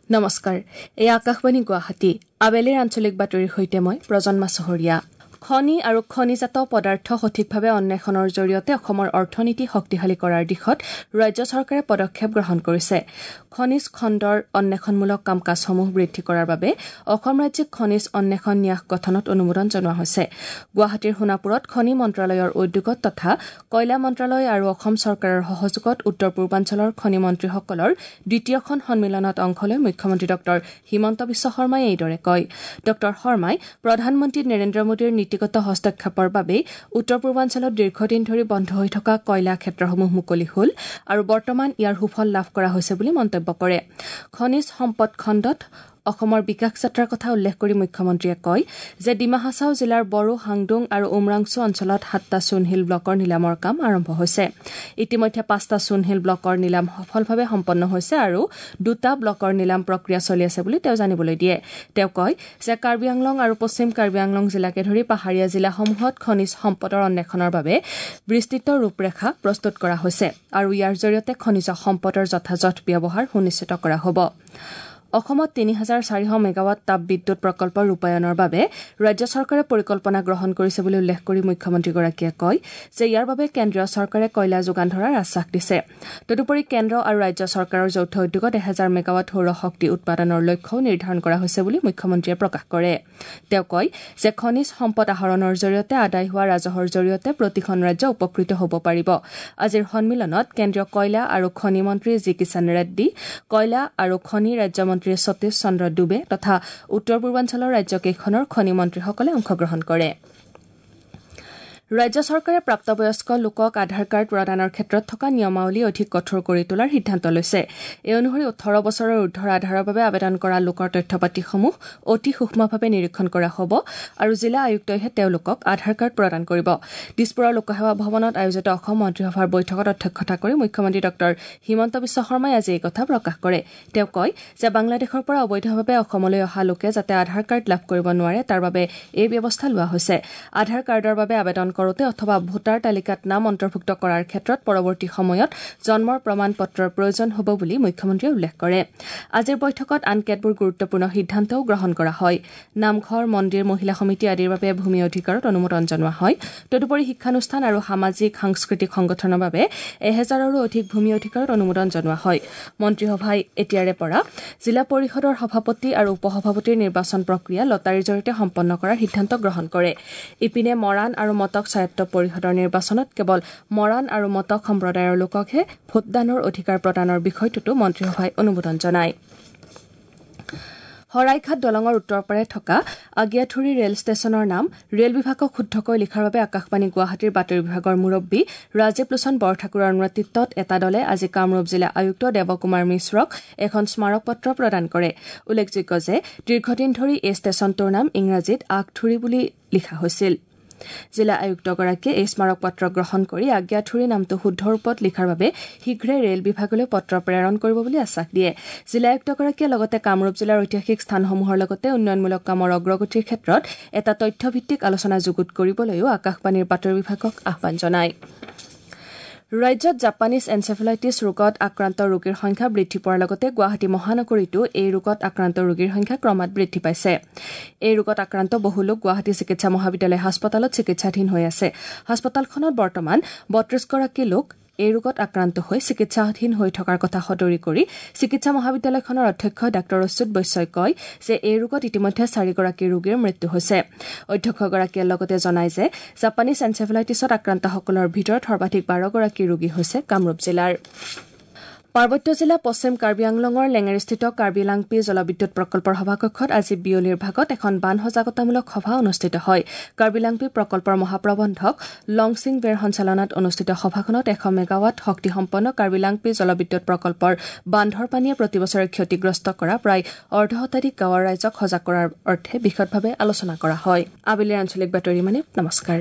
নমস্কাৰ, এই আকাশবাণী গুৱাহাটী। আবেলিৰ আঞ্চলিক বাতৰিৰ সৈতে মই প্ৰজন্মা চহৰীয়া। খনি আৰু খনিজাত পদাৰ্থ সঠিকভাৱে অন্বেষণৰ জৰিয়তে অসমৰ অৰ্থনীতি শক্তিশালী কৰাৰ দিশত ৰাজ্য চৰকাৰে পদক্ষেপ গ্ৰহণ কৰিছে। খনিজ খণ্ডৰ অন্বেষণমূলক কাম কাজসমূহ বৃদ্ধি কৰাৰ বাবে অসম ৰাজ্যিক খনিজ অন্বেষণ ন্যাস গঠনত অনুমোদন জনোৱা হৈছে। গুৱাহাটীৰ সোণাপুৰত খনি মন্ত্ৰালয়ৰ উদ্যোগত তথা কয়লা মন্ত্ৰালয় আৰু অসম চৰকাৰৰ সহযোগত উত্তৰ পূৰ্বাঞ্চলৰ খনি মন্ত্ৰীসকলৰ দ্বিতীয়খন সন্মিলনত অংশ লৈ মুখ্যমন্ত্ৰী ডঃ হিমন্ত বিশ্ব শৰ্মাই এইদৰে কয়। ডঃ শৰ্মাই প্ৰধানমন্ত্ৰী নৰেন্দ্ৰ মোদীৰ নীতিগত হস্তক্ষেপৰ বাবেই উত্তৰ পূৰ্বাঞ্চলত দীৰ্ঘদিন ধৰি বন্ধ হৈ থকা কয়লা ক্ষেত্ৰসমূহ মুকলি হ'ল আৰু বৰ্তমান ইয়াৰ সুফল লাভ কৰা হৈছে বুলি মন্তব্য কৰে। খনিজ সম্পদ খণ্ডত অসমৰ বিকাশ যাত্ৰাৰ কথা উল্লেখ কৰি মুখ্যমন্ত্ৰীয়ে কয় যে ডিমা হাছাও জিলাৰ বড়ো, হাংডুং আৰু উমৰাংচু অঞ্চলত ৭টা চূণশিল ব্লকৰ নিলামৰ কাম আৰম্ভ হৈছে। ইতিমধ্যে ৫টা চূণশিল ব্লকৰ নিলাম সফলভাৱে সম্পন্ন হৈছে আৰু ২টা ব্লকৰ নিলাম প্ৰক্ৰিয়া চলি আছে বুলি তেওঁ জানিবলৈ দিয়ে। তেওঁ কয় যে কাৰ্বি আংলং আৰু পশ্চিম কাৰ্বি আংলং জিলাকে ধৰি পাহাৰীয়া জিলাসমূহত খনিজ সম্পদৰ অন্বেষণৰ বাবে বিস্তৃত ৰূপৰেখা প্ৰস্তুত কৰা হৈছে আৰু ইয়াৰ জৰিয়তে খনিজ সম্পদৰ যথাযথ ব্যৱহাৰ সুনিশ্চিত কৰা হ'ব। অসমত ৩,৪০০ মেগাৱাট তাপ বিদ্যুৎ প্ৰকল্প ৰূপায়ণৰ বাবে ৰাজ্য চৰকাৰে পৰিকল্পনা গ্ৰহণ কৰিছে বুলি উল্লেখ কৰি মুখ্যমন্ত্ৰীগৰাকীয়ে কয় যে ইয়াৰ বাবে কেন্দ্ৰীয় চৰকাৰে কয়লা যোগান ধৰাৰ আশ্বাস দিছে। তদুপৰি কেন্দ্ৰ আৰু ৰাজ্য চৰকাৰৰ যৌথ উদ্যোগত ১,০০০ মেগাৱাট সৌৰ শক্তি উৎপাদনৰ লক্ষ্যও নিৰ্ধাৰণ কৰা হৈছে বুলি মুখ্যমন্ত্ৰীয়ে প্ৰকাশ কৰে। তেওঁ কয় যে খনিজ সম্পদ আহৰণৰ জৰিয়তে আদায় হোৱা ৰাজহৰ জৰিয়তে প্ৰতিখন ৰাজ্য উপকৃত হ'ব পাৰিব। আজিৰ সন্মিলনত কেন্দ্ৰীয় কয়লা আৰু খনি মন্ত্ৰী জি কিষাণ ৰেড্ডী, কয়লা আৰু খনি ৰাজ্যমন্ত্ৰী সতীশ চন্দ্ৰ ডুবে তথা উত্তৰ পূৰ্বাঞ্চলৰ ৰাজ্যকেইখনৰ খনি মন্ত্ৰীসকলে অংশগ্ৰহণ কৰে। ৰাজ্য চৰকাৰে প্ৰাপ্তবয়স্ক লোকক আধাৰ কাৰ্ড প্ৰদানৰ ক্ষেত্ৰত থকা নিয়মাৱলী অধিক কঠোৰ কৰি তোলাৰ সিদ্ধান্ত লৈছে। এই অনুসৰি ১৮ বছৰৰ ঊৰ্ধৰ আধাৰৰ বাবে আবেদন কৰা লোকৰ তথ্যপাতিসমূহ অতি সূক্ষ্মভাৱে নিৰীক্ষণ কৰা হ'ব আৰু জিলা আয়ুক্তইহে তেওঁলোকক আধাৰ কাৰ্ড প্ৰদান কৰিব। দিছপুৰৰ লোকসেৱা ভৱনত আয়োজিত অসম মন্ত্ৰীসভাৰ বৈঠকত অধ্যক্ষতা কৰি মুখ্যমন্ত্ৰী ডঃ হিমন্ত বিশ্ব শৰ্মাই আজি এই কথা প্ৰকাশ কৰে। তেওঁ কয় যে বাংলাদেশৰ পৰা অবৈধভাৱে অসমলৈ অহা লোকে যাতে আধাৰ কাৰ্ড লাভ কৰিব নোৱাৰে তাৰ বাবে এই ব্যৱস্থা লোৱা হৈছে। আধাৰ কাৰ্ডৰ বাবে আবেদন কৰোতে অথবা ভোটাৰ তালিকাত নাম অন্তৰ্ভুক্ত কৰাৰ ক্ষেত্ৰত পৰৱৰ্তী সময়ত জন্মৰ প্ৰমাণ পত্ৰৰ প্ৰয়োজন হ'ব বুলি মুখ্যমন্ত্ৰীয়ে উল্লেখ কৰে। আজিৰ বৈঠকত আন কেতবোৰ গুৰুত্বপূৰ্ণ সিদ্ধান্তও গ্ৰহণ কৰা হয়। নামঘৰ, মন্দিৰ, মহিলা সমিতি আদিৰ বাবে ভূমি অধিকাৰত অনুমোদন জনোৱা হয়। তদুপৰি শিক্ষানুষ্ঠান আৰু সামাজিক সাংস্কৃতিক সংগঠনৰ বাবে ১,০০০ৰো অধিক ভূমি অধিকাৰত অনুমোদন জনোৱা হয়। মন্ত্ৰীসভাই এতিয়াৰে পৰা জিলা পৰিষদৰ সভাপতি আৰু উপসভাপতিৰ নিৰ্বাচন প্ৰক্ৰিয়া লটাৰীৰ জৰিয়তে সম্পন্ন কৰাৰ সিদ্ধান্ত গ্ৰহণ কৰে। ইপিনে মৰাণ আৰু মটক স্বায়ত্ত পৰিষদৰ নিৰ্বাচনত কেৱল মৰাণ আৰু মটক সম্প্ৰদায়ৰ লোককহে ভোটদানৰ অধিকাৰ প্ৰদানৰ বিষয়টোতো মন্ত্ৰীসভাই অনুমোদন জনায়। শৰাইঘাট দলঙৰ উত্তৰ পাৰে থকা আগিয়াথুৰি ৰেল ষ্টেচনৰ নাম ৰেল বিভাগক শুদ্ধকৈ লিখাৰ বাবে আকাশবাণী গুৱাহাটীৰ বাতৰি বিভাগৰ মুৰব্বী ৰাজীৱ লোচন বৰঠাকুৰৰ নেতৃত্বত এটা দলে আজি কামৰূপ জিলা আয়ুক্ত দেৱকুমাৰ মিশ্ৰক এখন স্মাৰকপত্ৰ প্ৰদান কৰে। উল্লেখযোগ্য যে দীৰ্ঘদিন ধৰি এই ষ্টেচনটোৰ নাম ইংৰাজীত আগথুৰি বুলি লিখা হৈছিল। জিলা আয়ুক্তগৰাকীয়ে এই স্মাৰকপত্ৰ গ্ৰহণ কৰি আজ্ঞাথুৰি নামটো শুদ্ধ ৰূপত লিখাৰ বাবে শীঘ্ৰে ৰেল বিভাগলৈ পত্ৰ প্ৰেৰণ কৰিব বুলি আশ্বাস দিয়ে। জিলা আয়ুক্তগৰাকীয়ে লগতে কামৰূপ জিলাৰ ঐতিহাসিক স্থানসমূহৰ লগতে উন্নয়নমূলক কামৰ অগ্ৰগতিৰ ক্ষেত্ৰত এটা তথ্যভিত্তিক আলোচনা যুগুত কৰিবলৈও আকাশবাণীৰ বাতৰি বিভাগক আহ্বান জনায়। ৰাজ্যত জাপানীজ এনচেফেলাইটিছ ৰোগত আক্ৰান্ত ৰোগীৰ সংখ্যা বৃদ্ধি পোৱাৰ লগতে গুৱাহাটী মহানগৰীতো এই ৰোগত আক্ৰান্ত ৰোগীৰ সংখ্যা ক্ৰমাৎ বৃদ্ধি পাইছে। এই ৰোগত আক্ৰান্ত বহু লোক গুৱাহাটী চিকিৎসা মহাবিদ্যালয় হাস্পতালত চিকিৎসাধীন হৈ আছে। হাস্পতালখনত বৰ্তমান ৩২গৰাকী লোক এই ৰোগত আক্ৰান্ত হৈ চিকিৎসাধীন হৈ থকাৰ কথা সদৰি কৰি চিকিৎসা মহাবিদ্যালয়খনৰ অধ্যক্ষ ডাঃ অচ্যুত বৈশ্যই কয় যে এই ৰোগত ইতিমধ্যে ৪গৰাকী ৰোগীৰ মৃত্যু হৈছে। অধ্যক্ষগৰাকীয়ে লগতে জনায় যে জাপানীজ এনচেফেলাইটিছত আক্ৰান্তসকলৰ ভিতৰত সৰ্বাধিক ১২গৰাকী ৰোগী হৈছে কামৰূপ জিলাৰ। পাৰ্বত্য জিলা পশ্চিম কাৰ্বি আংলঙৰ লেঙেৰীস্থিত কাৰ্বি লাংপি জলবিদ্যুৎ প্ৰকল্পৰ সভাকক্ষত আজি বিয়লিৰ ভাগত এখন বান সজাগতামূলক সভা অনুষ্ঠিত হয়। কাৰ্বি লাংপি প্ৰকল্পৰ মহাপ্ৰবন্ধক লংছিং বেৰ সঞ্চালনাত অনুষ্ঠিত সভাখনত ১০০ মেগাৱাট শক্তিসম্পন্ন কাৰ্বি লাংপি জলবিদ্যুৎ প্ৰকল্পৰ বান্ধৰ পানীয়ে প্ৰতিবছৰে ক্ষতিগ্ৰস্ত কৰা প্ৰায় অৰ্ধ শতাধিক গাঁৱৰ ৰাইজক সজাগ কৰাৰ অৰ্থে বিশদভাৱে আলোচনা কৰা হয়। আবেলিৰ আঞ্চলিক বাতৰি মানে নমস্কাৰ।